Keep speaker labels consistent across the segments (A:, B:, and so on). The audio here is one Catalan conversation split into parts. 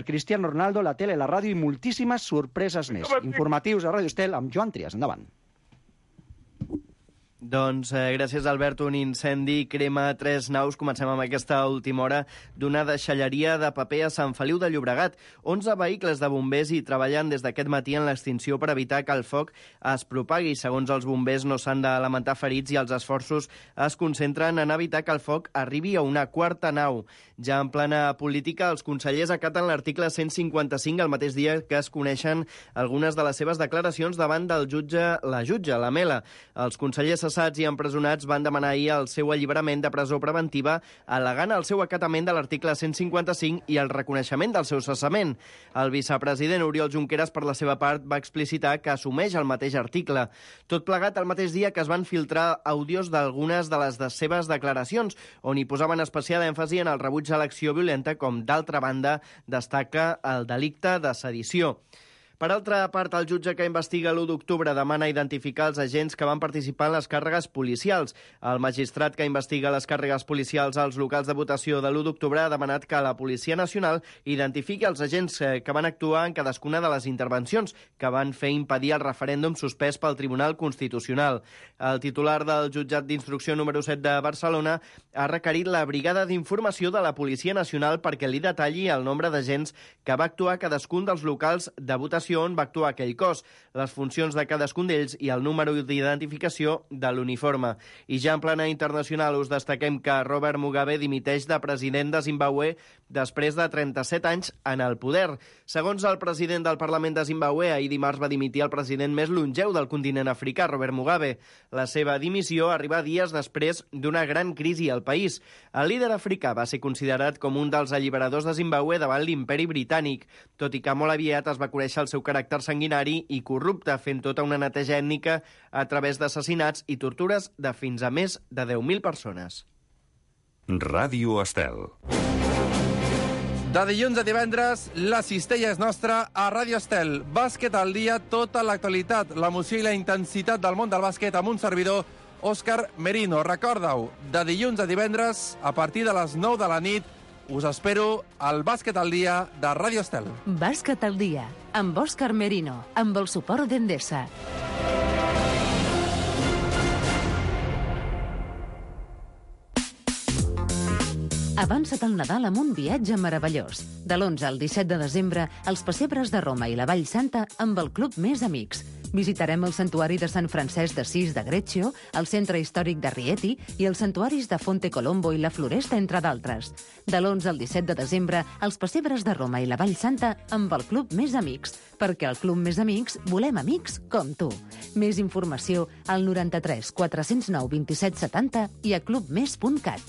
A: Cristiano Ronaldo, la tele, la ràdio i moltíssimes sorpreses més. Informatius a Ràdio Estel amb Joan Trias. Endavant.
B: Doncs gràcies, Albert. Un incendi crema 3 naus. Comencem amb aquesta última hora d'una deixalleria de paper a Sant Feliu de Llobregat. 11 vehicles de bombers hi treballen des d'aquest matí en l'extinció per evitar que el foc es propagui. Segons els bombers, no s'han de lamentar ferits i els esforços es concentren en evitar que el foc arribi a una quarta nau. Ja en plana política, els consellers acaten l'article 155 el mateix dia que es coneixen algunes de les seves declaracions davant del jutge, la Mela. Els consellers cessats i empresonats van demanar ahir el seu alliberament de presó preventiva, al·legant el seu acatament de l'article 155 i el reconeixement del seu cessament. El vicepresident Oriol Junqueras, per la seva part, va explicitar que assumeix el mateix article. Tot plegat el mateix dia que es van filtrar àudios d'algunes de les seves declaracions, on hi posaven especial èmfasi en el rebuig a l'acció violenta, com d'altra banda destaca el delicte de sedició. Per altra part, el jutge que investiga l'1 d'octubre demana identificar els agents que van participar en les càrregues policials. El magistrat que investiga les càrregues policials als locals de votació de l'1 d'octubre ha demanat que la Policia Nacional identifiqui els agents que van actuar en cadascuna de les intervencions que van fer impedir el referèndum suspès pel Tribunal Constitucional. El titular del jutjat d'instrucció número 7 de Barcelona ha requerit la Brigada d'Informació de la Policia Nacional perquè li detalli el nombre d'agents que va actuar a cadascun dels locals de votació on va actuar aquell cos, les funcions de cadascun d'ells i el número d'identificació de l'uniforme. I ja en plana internacional us destaquem que Robert Mugabe dimiteix de president de Zimbabue després de 37 anys en el poder. Segons el president del Parlament de Zimbabue, ahir dimarts va dimitir el president més longeu del continent africà, Robert Mugabe. La seva dimissió arriba dies després d'una gran crisi al país. El líder africà va ser considerat com un dels alliberadors de Zimbabue davant l'imperi britànic, tot i que molt aviat es va conèixer el seu caràcter sanguinari i corrupte, fent tota una neteja ètnica a través d'assassinats i tortures de fins a més de 10.000 persones.
C: Ràdio Estel.
D: De dilluns a divendres, la cistella és nostra a Ràdio Estel. Bàsquet al dia, tota l'actualitat, l'emoció i la intensitat del món del bàsquet amb un servidor, Òscar Merino. Recorda-ho, de dilluns a divendres, a partir de les 9 de la nit, us espero al Bàsquet al dia de Ràdio Estel.
E: Bàsquet al dia, amb Òscar Merino, amb el suport d'Endesa. Avança't al Nadal amb un viatge meravellós. De l'11 al 17 de desembre, els pessebres de Roma i la Vall Santa amb el Club Més Amics. Visitarem el santuari de Sant Francesc d'Assís de Greccio, el centre històric de Rieti i els santuaris de Fonte Colombo i la Floresta, entre d'altres. De l'11 al 17 de desembre, els pessebres de Roma i la Vall Santa amb el Club Més Amics, perquè al Club Més Amics volem amics com tu. Més informació al 93 409 27 70 i a clubmes.cat.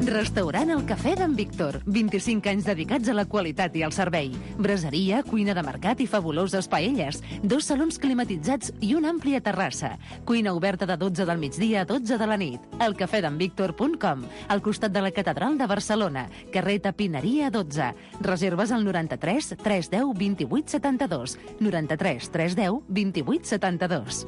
E: Restaurant El Cafè d'en Víctor. 25 anys dedicats a la qualitat i al servei. Braseria, cuina de mercat i fabuloses paelles. 2 salons climatitzats i una àmplia terrassa. Cuina oberta de 12 del migdia a 12 de la nit. elcafedenvictor.com, al costat de la Catedral de Barcelona. Carrer Tapineria 12. Reserves al 93 310 28 72. 93 310 28 72.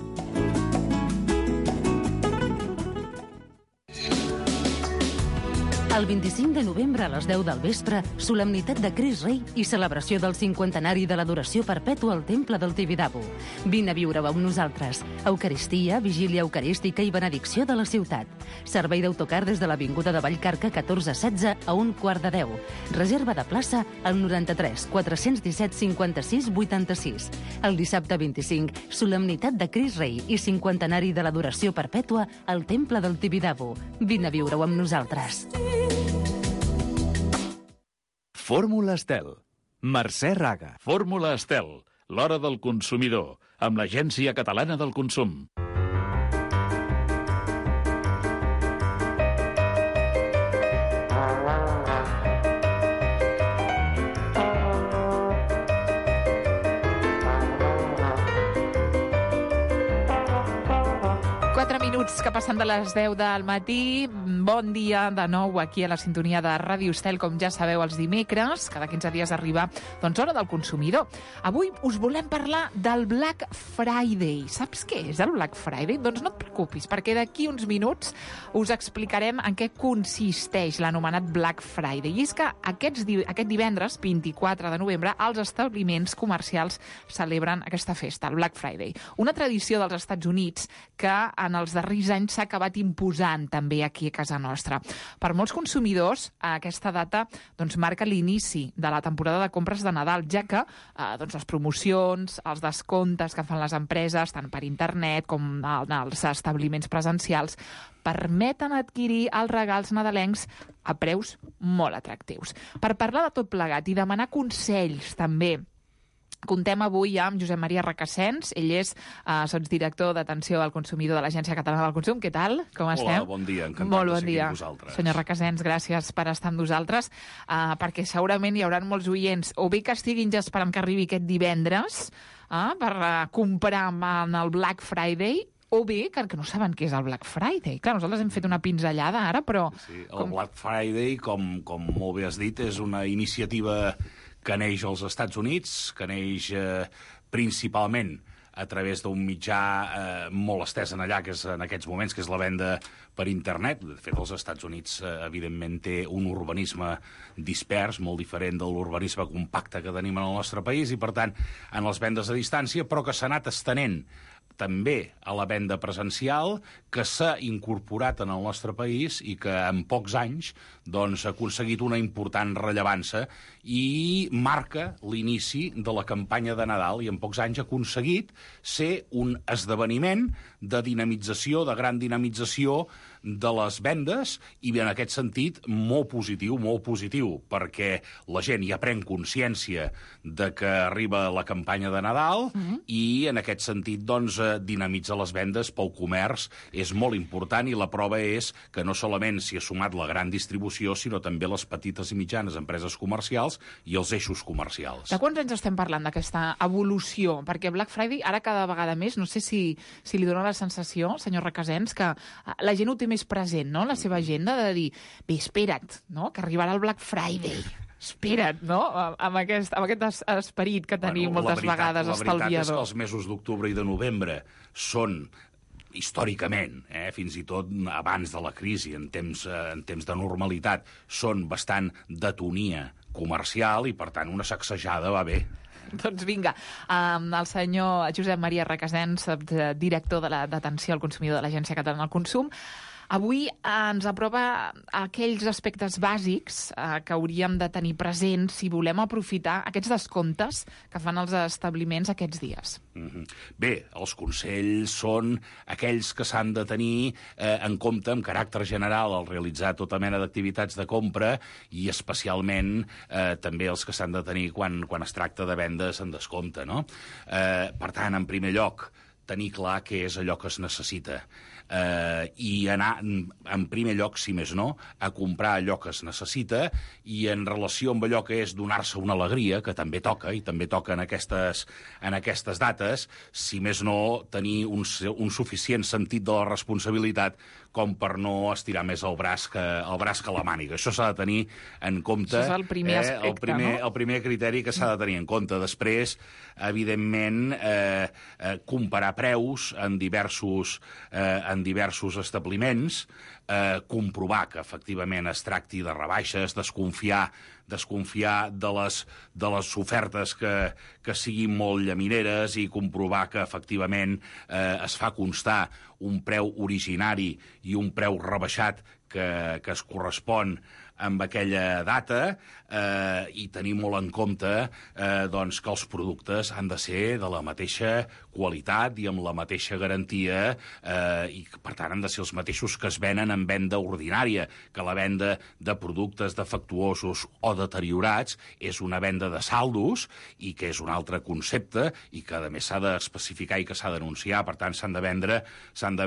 E: El 25 de novembre a les 10 del vespre, solemnitat de Crist Rei i celebració del 50ennari de l'adoració perpètua al Temple del Tibidabo. Vine a viure-ho amb nosaltres. Eucaristia, vigília eucarística i benedicció de la ciutat. Servei d'autocar des de l'Avinguda de Vallcarca 1416 a 1:15. Reserva de plaça al 93 417 56 86. El dissabte 25, solemnitat de Crist Rei i 50ennari de l'adoració perpètua al Temple del Tibidabo. Vine a viure-ho amb nosaltres.
C: Fórmula Estel. Mercè Raga.
F: Fórmula Estel, l'hora del consumidor, amb l'Agència Catalana del Consum.
G: minuts que passen de les 10 del matí. Bon dia de nou aquí a la sintonia de Ràdio Estel, com ja sabeu, els dimecres. Cada 15 dies arriba, doncs, Hora del Consumidor. Avui us volem parlar del Black Friday. Saps què és el Black Friday? Doncs no et preocupis, perquè d'aquí uns minuts us explicarem en què consisteix l'anomenat Black Friday. I és que aquest divendres, 24 de novembre, els establiments comercials celebren aquesta festa, el Black Friday. Una tradició dels Estats Units que en els darrers anys s'ha acabat imposant també aquí a casa nostra. Per molts consumidors, aquesta data doncs, marca l'inici de la temporada de compres de Nadal, ja que doncs, les promocions, els descomptes que fan les empreses, tant per internet com en els establiments presencials, permeten adquirir els regals nadalencs a preus molt atractius. Per parlar de tot plegat i demanar consells també, contem avui amb Josep Maria Requesens. Ell és sotsdirector d'Atenció al Consumidor de l'Agència Catalana del Consum. Què tal? Com estem?
H: Hola, bon dia. Encantat
G: Molt bon
H: de seguir
G: dia.
H: amb vosaltres.
G: Senyor Requesens, gràcies per estar amb nosaltres, perquè segurament hi haurà molts oients, o bé que estiguin ja esperant que arribi aquest divendres per comprar en el Black Friday, o bé que no saben què és el Black Friday. Clar, nosaltres hem fet una pinzellada ara, però...
H: Sí, el Black Friday, com molt bé has dit, és una iniciativa que neix als Estats Units, que neix principalment a través d'un mitjà molt estès en allà, que és en aquests moments, que és la venda per internet. De fet, els Estats Units, evidentment, té un urbanisme dispers, molt diferent de l'urbanisme compacte que tenim en el nostre país, i, per tant, en les vendes a distància, però que s'ha anat estenent també a la venda presencial, que s'ha incorporat en el nostre país i que en pocs anys doncs, ha aconseguit una important rellevància i marca l'inici de la campanya de Nadal, i en pocs anys ha aconseguit ser un esdeveniment de dinamització, de gran dinamització de les vendes, i en aquest sentit molt positiu, perquè la gent ja pren consciència de que arriba la campanya de Nadal i en aquest sentit doncs, dinamitza les vendes pel comerç és molt important, i la prova és que no solament s'hi ha sumat la gran distribució, sinó també les petites i mitjanes empreses comercials i els eixos comercials.
G: De quants anys estem parlant d'aquesta evolució? Perquè Black Friday, ara cada vegada més, no sé si li dona la sensació, senyor Requesens, que la gent ho té més present, no?, la seva agenda, de dir, bé, espera't, no?, que arribarà el Black Friday. Espera't, no?, amb aquest esperit que tenim moltes vegades estalviador.
H: La veritat és que els mesos d'octubre i de novembre són històricament, fins i tot abans de la crisi, en temps de normalitat, són bastant d'atonia comercial i, per tant, una sacsejada va bé.
G: Doncs vinga, el senyor Josep Maria Requesens, director d'Atenció al Consumidor de l'Agència Catalana del Consum, avui ens apropa aquells aspectes bàsics que hauríem de tenir presents si volem aprofitar aquests descomptes que fan els establiments aquests dies.
H: Bé, els consells són aquells que s'han de tenir en compte amb caràcter general al realitzar tota mena d'activitats de compra, i especialment també els que s'han de tenir quan es tracta de vendes en descompte, no? Per tant, en primer lloc, tenir clar què és allò que es necessita. I anar, en primer lloc, si més no, a comprar allò que es necessita, i en relació amb allò que és donar-se una alegria, que també toca, i també toca en aquestes dates, si més no, tenir un suficient sentit de la responsabilitat com per no estirar més el braç que la màniga. Això s'ha de tenir en compte.
G: Això és el primer aspecte, no?
H: El primer criteri que s'ha de tenir en compte. Després, evidentment, comparar preus en diversos establiments, comprovar que efectivament es tracti de rebaixes, desconfiar de les ofertes que siguin molt llamineres, i comprovar que efectivament es fa constar un preu originari i un preu rebaixat que es correspon amb aquella data, i tenir molt en compte doncs, que els productes han de ser de la mateixa qualitat i amb la mateixa garantia, i per tant han de ser els mateixos que es venen en venda ordinària, que la venda de productes defectuosos o deteriorats és una venda de saldos, i que és un altre concepte, i que a més s'ha d'especificar i que s'ha d'anunciar. Per tant, s'han de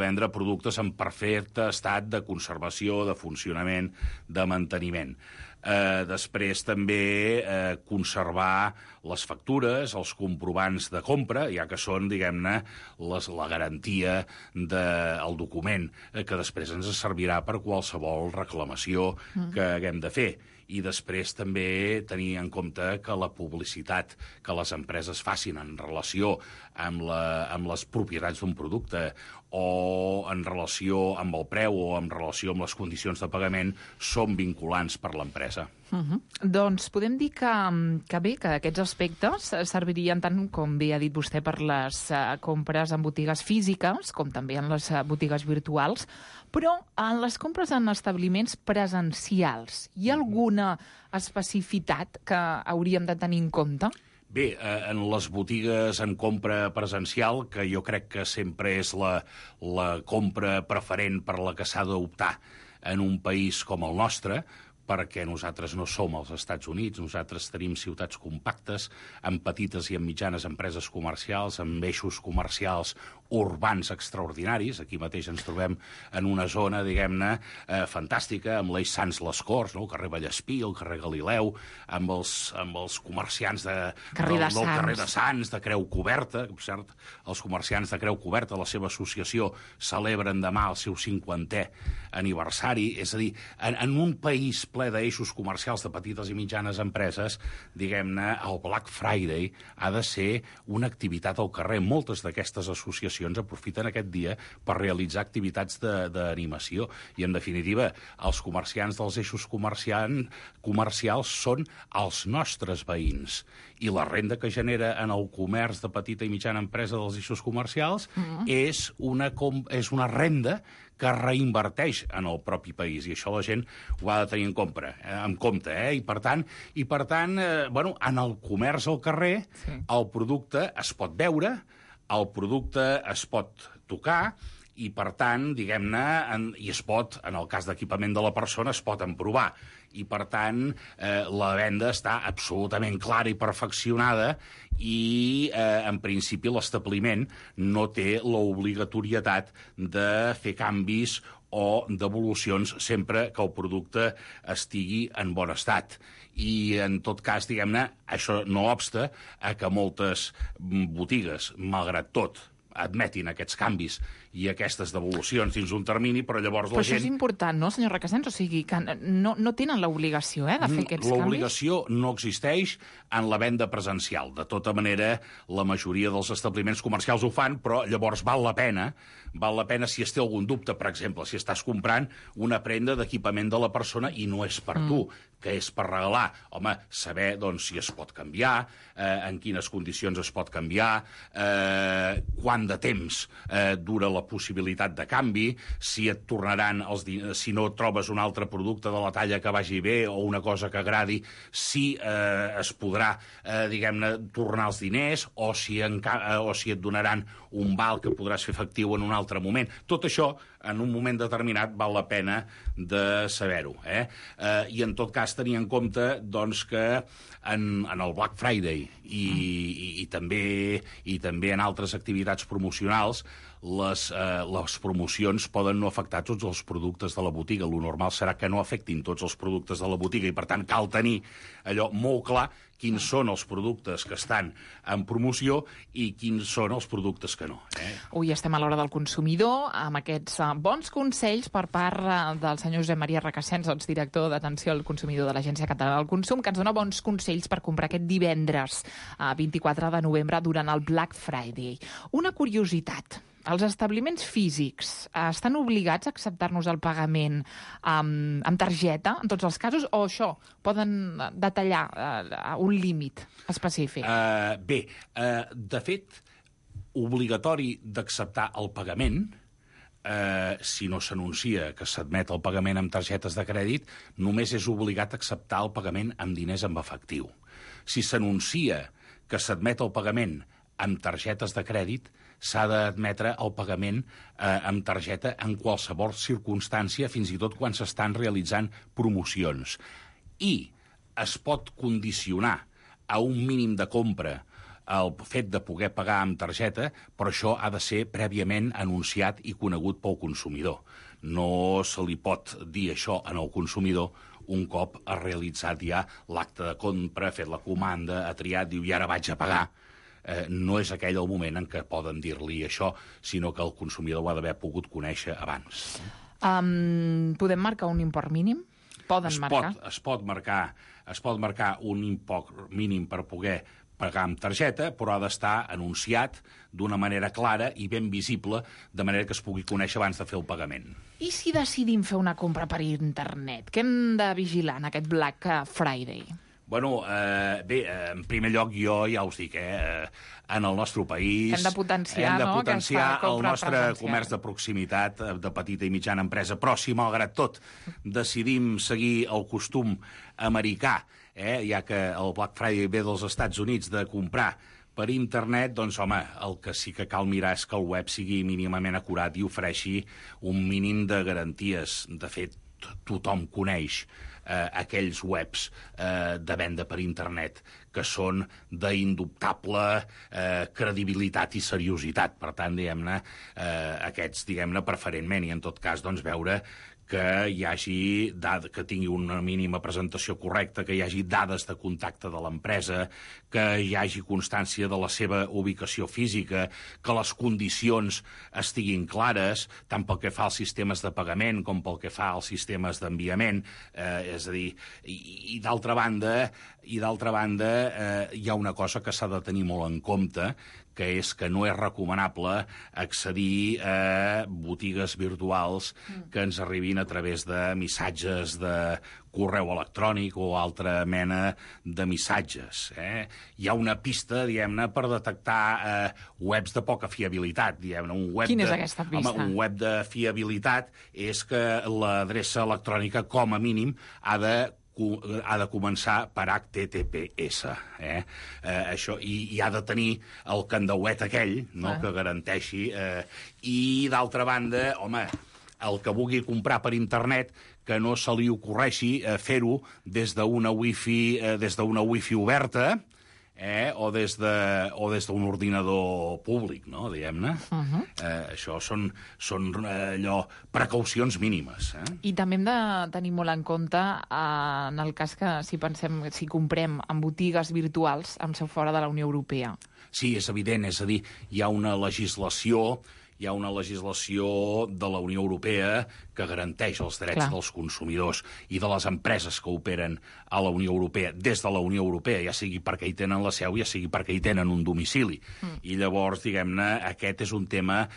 H: vendre productes en perfecte estat de conservació, de funcionament, de manteniment. Després també conservar les factures, els comprovants de compra, ja que són, diguem-ne, la garantia del document, que després ens servirà per qualsevol reclamació que haguem de fer. I després també tenir en compte que la publicitat que les empreses facin en relació amb les propietats d'un producte o en relació amb el preu o en relació amb les condicions de pagament són vinculants per l'empresa.
G: Doncs podem dir que bé, que aquests aspectes servirien tant, com bé ha dit vostè, per les compres en botigues físiques, com també en les botigues virtuals, però en les compres en establiments presencials, hi ha alguna especificitat que hauríem de tenir en compte?
H: Bé, en les botigues en compra presencial, que jo crec que sempre és la compra preferent per la que s'ha d'optar en un país com el nostre, perquè nosaltres no som als Estats Units, nosaltres tenim ciutats compactes, amb petites i amb mitjanes empreses comercials, amb eixos comercials urbans extraordinaris. Aquí mateix ens trobem en una zona, diguem-ne, fantàstica, amb l'eix Sants les Corts, no? El carrer Vallespí, el carrer Galileu, amb els comerciants del carrer de Sants, de Creu Coberta. Per cert, els comerciants de Creu Coberta, la seva associació, celebren demà el seu 50è aniversari. És a dir, en un país ple d'eixos comercials de petites i mitjanes empreses, diguem-ne, el Black Friday ha de ser una activitat al carrer. Moltes d'aquestes associacions aprofiten aquest dia per realitzar activitats d'animació. I, en definitiva, els comerciants dels eixos comercials són els nostres veïns. I la renda que genera en el comerç de petita i mitjana empresa dels eixos comercials és una renda que reinverteix en el propi país, i això la gent ho ha de tenir en compte. I per tant, en el comerç al carrer, el producte es pot veure, el producte es pot tocar, i, per tant, diguem-ne, i es pot, en el cas d'equipament de la persona, es pot emprovar. I, per tant, la venda està absolutament clara i perfeccionada i, en principi, l'establiment no té l'obligatorietat de fer canvis o devolucions sempre que el producte estigui en bon estat. I, en tot cas, diguem-ne, això no obsta a que moltes botigues, malgrat tot, admetin aquests canvis i aquestes devolucions dins un termini, però llavors la gent...
G: Però això és important, no, senyor Requesens? O sigui, que no tenen l'obligació de fer aquests canvis?
H: L'obligació no existeix en la venda presencial. De tota manera, la majoria dels establiments comercials ho fan, però llavors val la pena si es té algun dubte, per exemple, si estàs comprant una prenda d'equipament de la persona i no és per tu, que és per regalar. Home, saber, doncs, si es pot canviar, en quines condicions es pot canviar, quant de temps dura la possibilitat de canvi, si et tornaran si no trobes un altre producte de la talla que vagi bé o una cosa que agradi, si es podrà, diguem-ne, tornar els diners o si et donaran un val que podràs fer efectiu en un altre moment. Tot això, en un moment determinat, val la pena de saber-ho. I, en tot cas, tenir en compte, doncs, que en el Black Friday i també en altres activitats promocionals, les promocions poden no afectar tots els productes de la botiga. Lo normal serà que no afectin tots els productes de la botiga i, per tant, cal tenir allò molt clar quins són els productes que estan en promoció i quins són els productes que no.
G: Avui estem a l'hora del consumidor, amb aquests bons consells per part del senyor Josep Maria Requesens, director d'Atenció al Consumidor de l'Agència Catalana del Consum, que ens dona bons consells per comprar aquest divendres 24 de novembre durant el Black Friday. Una curiositat. Els establiments físics estan obligats a acceptar-nos el pagament amb targeta, en tots els casos, o això poden detallar un límit específic?
H: De fet, obligatori d'acceptar el pagament, si no s'anuncia que s'admet el pagament amb targetes de crèdit, només és obligat a acceptar el pagament amb diners en efectiu. Si s'anuncia que s'admet el pagament amb targetes de crèdit, s'ha d'admetre el pagament amb targeta en qualsevol circumstància, fins i tot quan s'estan realitzant promocions. I es pot condicionar a un mínim de compra el fet de poder pagar amb targeta, però això ha de ser prèviament anunciat i conegut pel consumidor. No se li pot dir això al consumidor un cop ha realitzat ja l'acte de compra, ha fet la comanda, ha triat, diu, i ara vaig a pagar. No és aquell el moment en què poden dir-li això, sinó que el consumidor ho ha d'haver pogut conèixer abans.
G: Podem marcar un import mínim? Poden marcar?
H: Es pot marcar un import mínim per poder pagar amb targeta, però ha d'estar anunciat d'una manera clara i ben visible, de manera que es pugui conèixer abans de fer el pagament.
G: I si decidim fer una compra per internet? Què hem de vigilar en aquest Black Friday?
H: Bueno, bé, en primer lloc jo ja us dic, en el nostre país
G: hem de potenciar
H: el nostre comerç de proximitat, de petita i mitjana empresa, però si malgrat tot decidim seguir el costum americà, ja que el Black Friday ve dels Estats Units, de comprar per internet, doncs, home, el que sí que cal mirar és que el web sigui mínimament acurat i ofereixi un mínim de garanties. De fet, tothom coneix aquells webs de venda per internet que són d'indubtable credibilitat i seriositat. Per tant, diguem-ne, aquests, diguem-ne, preferentment, i en tot cas, doncs, veure que hi hagi que tingui una mínima presentació correcta, que hi hagi dades de contacte de l'empresa, que hi hagi constància de la seva ubicació física, que les condicions estiguin clares, tant pel que fa als sistemes de pagament com pel que fa als sistemes d'enviament. És a dir, i d'altra banda, hi ha una cosa que s'ha de tenir molt en compte, que és que no és recomanable accedir a botigues virtuals que ens arribin a través de missatges de correu electrònic o altra mena de missatges. Hi ha una pista, diguem-ne, per detectar webs de poca fiabilitat.
G: Quina és aquesta pista?
H: Home, un web de fiabilitat és que l'adreça electrònica, com a mínim, ha de començar per HTTPS. Això, i ha de tenir el candauet aquell, no?, que garanteixi. I, d'altra banda, home, el que vulgui comprar per internet, que no se li ocorreixi fer-ho des d'una wifi oberta, o des d'un ordinador públic, no?, diguem-ne. Això són allò, precaucions mínimes.
G: I també hem de tenir molt en compte en el cas que si comprem en botigues virtuals amb seu fora de la Unió Europea.
H: Sí, és evident, és a dir, hi ha una legislació de la Unió Europea que garanteix els drets dels consumidors i de les empreses que operen a la Unió Europea, des de la Unió Europea, ja sigui perquè hi tenen la seu, ja sigui perquè hi tenen un domicili. I llavors, diguem-ne, aquest és un tema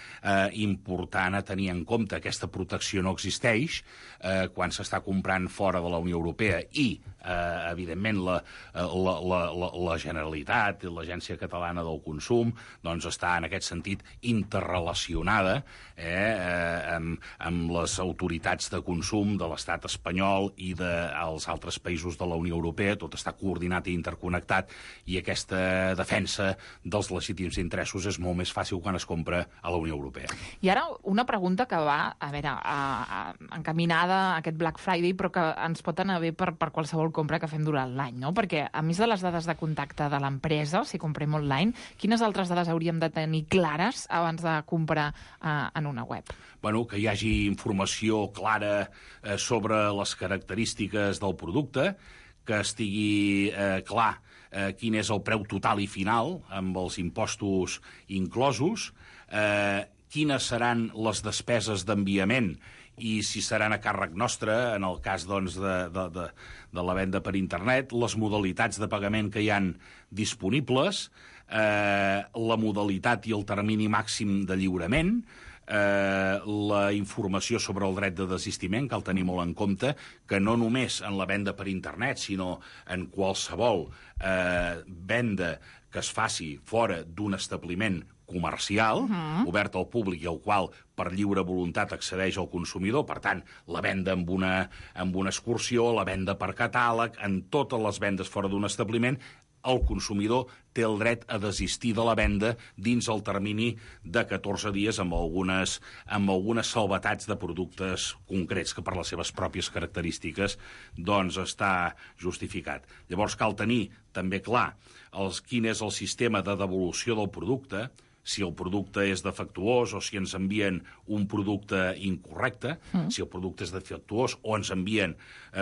H: important a tenir en compte. Aquesta protecció no existeix quan s'està comprant fora de la Unió Europea i, evidentment, la Generalitat i l'Agència Catalana del Consum doncs està, en aquest sentit, interrelacionada amb les autoritats de consum de l'estat espanyol i dels altres països de la Unió Europea. Tot està coordinat i interconnectat, i aquesta defensa dels legítims interessos és molt més fàcil quan es compra a la Unió Europea.
G: I ara una pregunta que va, encaminada a aquest Black Friday, però que ens pot anar bé per qualsevol compra que fem durant l'any, no? Perquè, a més de les dades de contacte de l'empresa, si comprem online, quines altres dades hauríem de tenir clares abans de comprar en una web?
H: Bueno, que hi hagi informació clara sobre les característiques del producte, que estigui clar quin és el preu total i final, amb els impostos inclosos, quines seran les despeses d'enviament i si seran a càrrec nostre, en el cas doncs, de la venda per internet, les modalitats de pagament que hi han disponibles, la modalitat i el termini màxim de lliurament, la informació sobre el dret de desistiment, cal tenir molt en compte que no només en la venda per internet, sinó en qualsevol venda que es faci fora d'un establiment comercial, obert al públic i al qual per lliure voluntat accedeix el consumidor. Per tant, la venda amb una excursió, la venda per catàleg, en totes les vendes fora d'un establiment, el consumidor té el dret a desistir de la venda dins el termini de 14 dies amb algunes salvetats de productes concrets que per les seves pròpies característiques doncs està justificat. Llavors cal tenir també clar quin és el sistema de devolució del producte, si el producte és defectuós o si ens envien un producte incorrecte, si el producte és defectuós o ens envien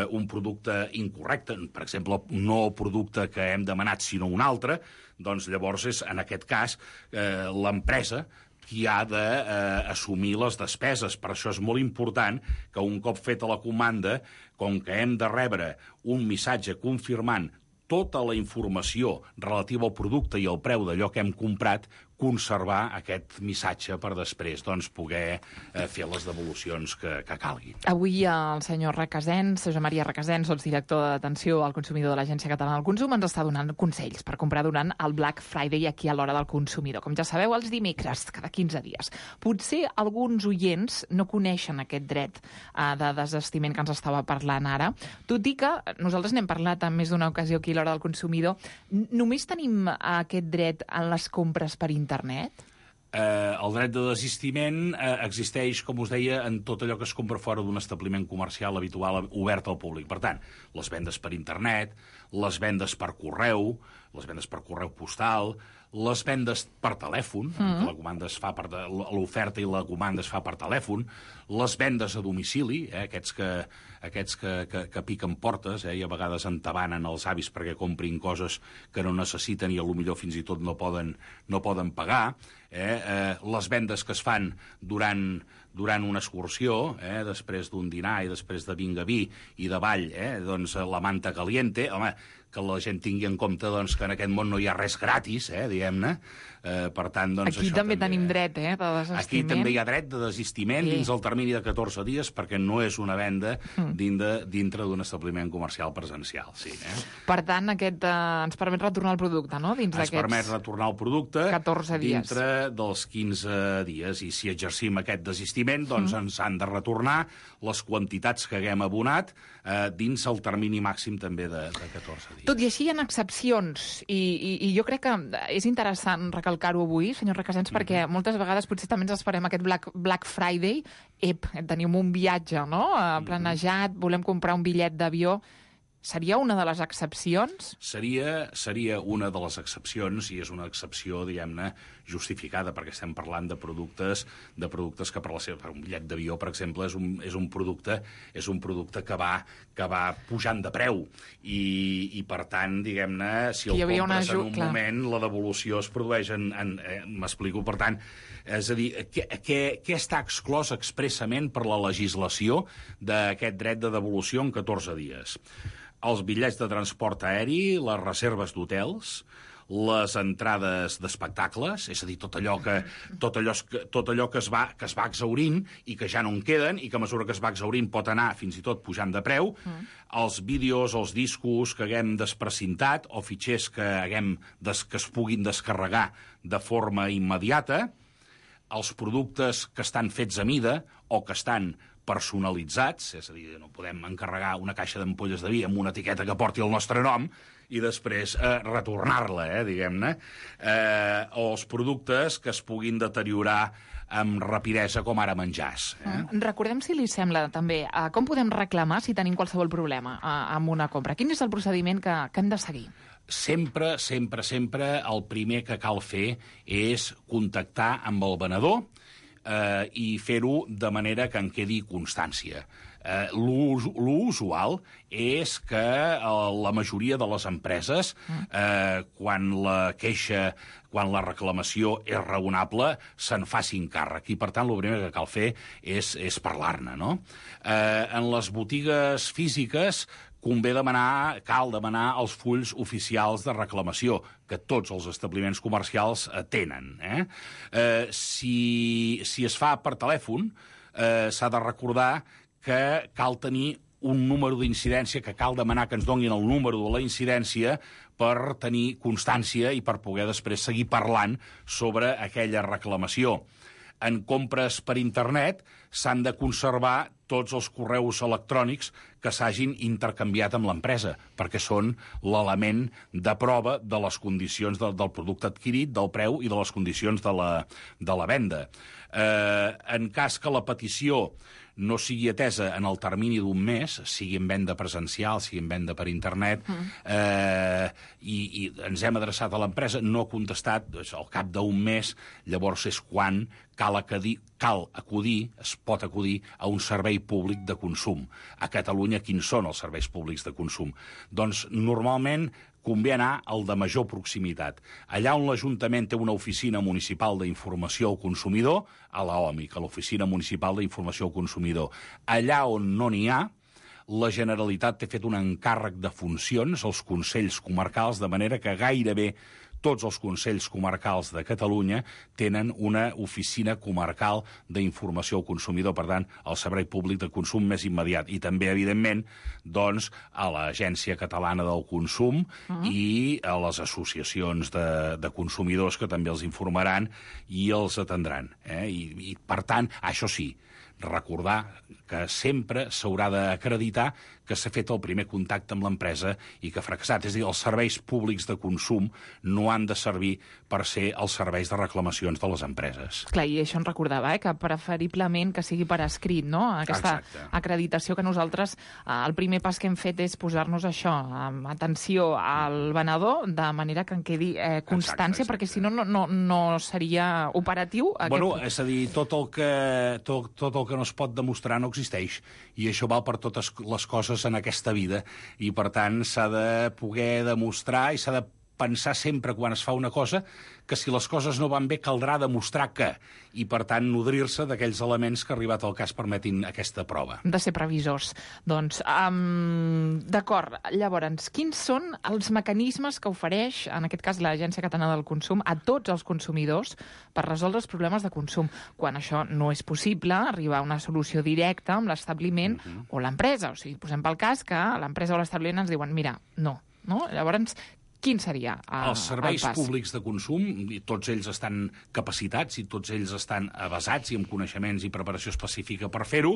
H: un producte incorrecte, per exemple, no el producte que hem demanat, sinó un altre, doncs llavors és, en aquest cas, l'empresa qui ha d'assumir les despeses. Per això és molt important que un cop feta la comanda, com que hem de rebre un missatge confirmant tota la informació relativa al producte i al preu d'allò que hem comprat, conservar aquest missatge per després poder fer les devolucions que calguin.
G: Avui el senyor Requesens, Josep Maria Requesens, sotsdirector d'atenció al consumidor de l'Agència Catalana del Consum, ens està donant consells per comprar durant el Black Friday aquí a l'Hora del Consumidor. Com ja sabeu, els dimecres, cada 15 dies. Potser alguns oients no coneixen aquest dret de desestiment que ens estava parlant ara, tot i que nosaltres n'hem parlat en més d'una ocasió aquí a l'Hora del Consumidor. Només tenim aquest dret en les compres per internet?
H: El dret de desistiment existeix, com us deia, en tot allò que es compra fora d'un establiment comercial habitual obert al públic. Per tant, les vendes per internet, les vendes per correu postal, les vendes per telèfon, que la comanda es fa l'oferta i la comanda es fa per telèfon, les vendes a domicili, aquests que piquen portes i a vegades entabanen els avis perquè comprin coses que no necessiten i potser fins i tot no poden pagar, les vendes que es fan durant una excursió, després d'un dinar i després de vinga vi i de ball, doncs la manta caliente, home, que la gent tingui en compte que en aquest món no hi ha res gratis, diguem-ne. Per tant,
G: aquí també tenim dret, de desistiment.
H: Aquí també hi ha dret de desistiment dins el termini de 14 dies, perquè no és una venda dintre d'un establiment comercial presencial. Sí,
G: Per tant, aquest ens permet retornar el producte, no? Ens
H: permet retornar el producte
G: 14 dies.
H: Dintre dels 15 dies. I si exercim aquest desistiment, doncs ens han de retornar les quantitats que haguem abonat dins el termini màxim també de 14 dies.
G: Tot i així hi ha excepcions, i jo crec que és interessant recalcar-ho avui, senyor Requesens, perquè moltes vegades potser també ens esperem aquest Black Friday, tenim un viatge planejat, volem comprar un bitllet d'avió. Seria una de les excepcions?
H: Seria una de les excepcions, i és una excepció, diguem-ne, justificada, perquè estem parlant de productes que per un bitllet d'avió, per exemple, és un producte que va pujant de preu. I per tant, diguem-ne, si el compres en un moment, la devolució es produeix m'explico, per tant, és a dir, què està exclòs expressament per la legislació d'aquest dret de devolució en 14 dies? Els bitllets de transport aeri, les reserves d'hotels, les entrades d'espectacles, és a dir, tot allò que es va exhaurint i que ja no en queden i que a mesura que es va exhaurint pot anar fins i tot pujant de preu, els vídeos, els discos que haguem desprecintat o fitxers que es puguin descarregar de forma immediata, els productes que estan fets a mida o que estan personalitzats, és a dir, no podem encarregar una caixa d'ampolles de vi amb una etiqueta que porti el nostre nom i després retornar-la, diguem-ne, o els productes que es puguin deteriorar amb rapidesa, com ara menjars.
G: Recordem, si li sembla, també, com podem reclamar si tenim qualsevol problema amb una compra. Quin és el procediment que hem de seguir?
H: Sempre el primer que cal fer és contactar amb el venedor i fer-ho de manera que en quedi constància. L'usual és que la majoria de les empreses, quan la reclamació és raonable, se'n facin càrrec. I, per tant, el primer que cal fer és parlar-ne, no? En les botigues físiques cal demanar els fulls oficials de reclamació, que tots els establiments comercials tenen. Si es fa per telèfon, s'ha de recordar que cal tenir un número d'incidència, que cal demanar que ens donin el número de la incidència per tenir constància i per poder després seguir parlant sobre aquella reclamació. En compres per internet s'han de conservar tots els correus electrònics que s'hagin intercanviat amb l'empresa, perquè són l'element de prova de les condicions del producte adquirit, del preu i de les condicions de la venda. En cas que la petició no sigui atesa en el termini d'un mes, sigui en venda presencial, sigui en venda per internet, i ens hem adreçat a l'empresa, no ha contestat, al cap d'un mes, llavors és quan cal acudir, es pot acudir a un servei públic de consum. A Catalunya, quins són els serveis públics de consum? Doncs, normalment, convé anar al de major proximitat. Allà on l'Ajuntament té una oficina municipal d'informació al consumidor, a l'OMIC, a l'Oficina Municipal d'Informació al Consumidor. Allà on no n'hi ha, la Generalitat té fet un encàrrec de funcions als consells comarcals, de manera que gairebé tots els consells comarcals de Catalunya tenen una oficina comarcal d'informació al consumidor, per tant, el servei públic de consum més immediat. I també, evidentment, doncs, a l'Agència Catalana del Consum i a les associacions de consumidors que també els informaran i els atendran. I per tant, això sí, recordar que sempre s'haurà d'acreditar que s'ha fet el primer contacte amb l'empresa i que ha fracassat. És a dir, els serveis públics de consum no han de servir per ser els serveis de reclamacions de les empreses.
G: Clar, i això ens recordava, que preferiblement que sigui per escrit, no? Aquesta acreditació que nosaltres, el primer pas que hem fet és posar-nos això, atenció al venedor, de manera que en quedi constància, perquè si no, no seria operatiu.
H: Bueno, és a dir, tot el que no es pot demostrar no existeix, i això val per totes les coses en aquesta vida, i per tant s'ha de poder demostrar i s'ha de pensar sempre quan es fa una cosa que si les coses no van bé caldrà demostrar que, i per tant nodrir-se d'aquells elements que arribat al cas permetin aquesta prova.
G: De ser previsors. Doncs, d'acord, llavors, quins són els mecanismes que ofereix, en aquest cas l'Agència Catalana del Consum, a tots els consumidors per resoldre els problemes de consum? Quan això no és possible, arribar a una solució directa amb l'establiment o l'empresa. O sigui, posem pel cas que l'empresa o l'establiment ens diuen, mira, no. Llavors, quin seria el pas?
H: Els serveis públics de consum, i tots ells estan capacitats i tots ells estan avasats i amb coneixements i preparació específica per fer-ho,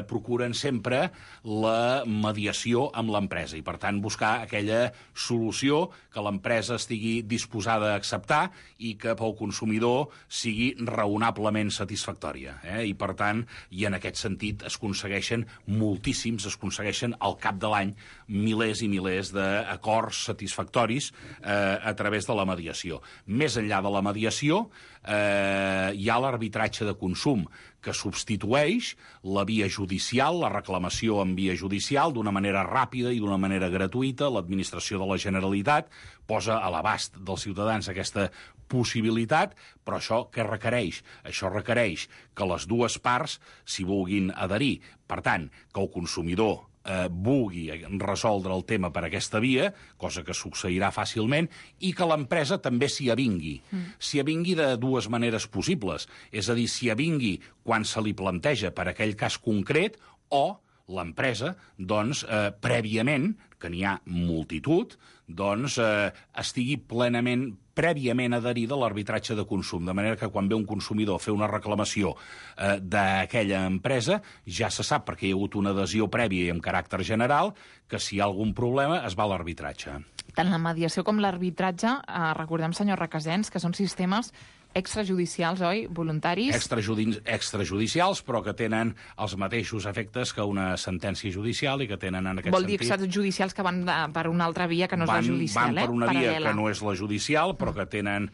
H: procuren sempre la mediació amb l'empresa i, per tant, buscar aquella solució que l'empresa estigui disposada a acceptar i que pel consumidor sigui raonablement satisfactòria. I, per tant, i en aquest sentit es aconsegueixen moltíssims, es aconsegueixen al cap de l'any milers i milers d'acords satisfactoris a través de la mediació. Més enllà de la mediació, hi ha l'arbitratge de consum, que substitueix la via judicial, la reclamació en via judicial, d'una manera ràpida i d'una manera gratuïta. L'administració de la Generalitat posa a l'abast dels ciutadans aquesta possibilitat, però això què requereix? Això requereix que les dues parts s'hi vulguin adherir. Per tant, que el consumidor vulgui resoldre el tema per aquesta via, cosa que succeirà fàcilment, i que l'empresa també s'hi avingui. S'hi avingui de dues maneres possibles. És a dir, s'hi avingui quan se li planteja per aquell cas concret, o l'empresa, doncs, prèviament, que n'hi ha multitud, doncs estigui prèviament adherida a l'arbitratge de consum, de manera que quan ve un consumidor a fer una reclamació d'aquella empresa, ja se sap, perquè hi ha hagut una adhesió prèvia i amb caràcter general, que si hi ha algun problema es va a l'arbitratge.
G: Tant la mediació com l'arbitratge, recordem, senyor Requesens, que són sistemes extrajudicials, oi? Voluntaris?
H: Extrajudicials, però que tenen els mateixos efectes que una sentència judicial i que tenen en aquest sentit...
G: Vol dir extrajudicials que van per una altra via que no és la judicial,
H: Van per una via que no és la judicial, però que tenen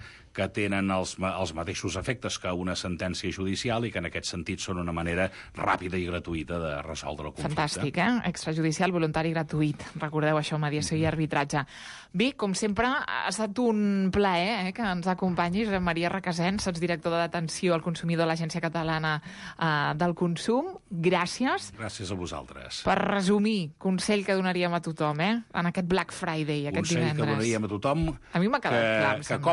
H: els mateixos efectes que una sentència judicial i que en aquest sentit són una manera ràpida i gratuïta de resoldre el conflicte.
G: Fantàstic, Extrajudicial, voluntari i gratuït. Recordeu això, mediació i arbitratge. Bé, com sempre, ha estat un plaer que ens acompanyis, Maria Requesens, sotsdirectora d'atenció al consumidor de l'Agència Catalana del Consum. Gràcies.
H: Gràcies a vosaltres.
G: Per resumir, consell que donaríem a tothom, en aquest Black Friday, aquest divendres.
H: Consell que donaríem a tothom...
G: A mi m'ha quedat clar,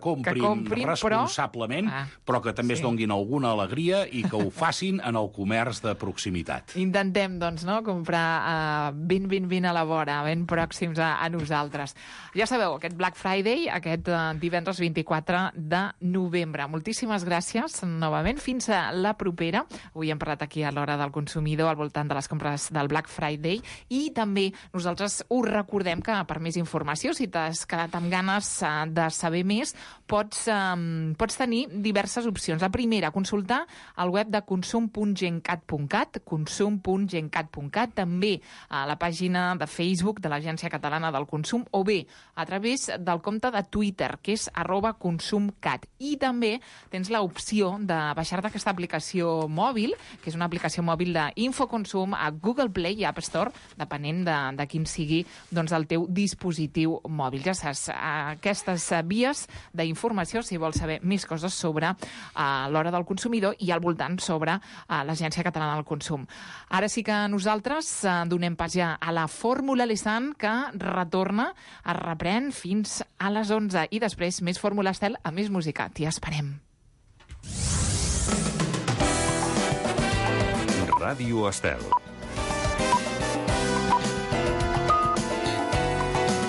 H: que comprin responsablement, però que també es donguin alguna alegria i que ho facin en el comerç de proximitat.
G: Intentem, doncs, comprar ben a la vora, ben pròxims a nosaltres. Ja sabeu, aquest Black Friday, aquest divendres 24 de novembre. Moltíssimes gràcies, novament. Fins a la propera. Avui hem parlat aquí a l'Hora del Consumidor al voltant de les compres del Black Friday i també nosaltres us recordem que per més informació, si t'has quedat amb ganes de saber més, pots tenir diverses opcions. La primera, consultar el web de consum.gencat.cat, consum.gencat.cat, també a la pàgina de Facebook de l'Agència Catalana del Consum, o bé a través del compte de Twitter, que és @consumcat. I també tens l'opció de baixar-te aquesta aplicació mòbil, que és una aplicació mòbil d'Infoconsum a Google Play i App Store, depenent de quin sigui doncs, el teu dispositiu mòbil. Ja saps, aquestes vies d'informació, si vols saber més coses sobre l'hora del consumidor i al voltant sobre l'Agència Catalana del Consum. Ara sí que nosaltres donem pas ja a la Fórmula Lesant, que retorna, es reprèn fins a les 11. I després, més Fórmula Estel, a més música. T'hi esperem.
C: Ràdio Estel.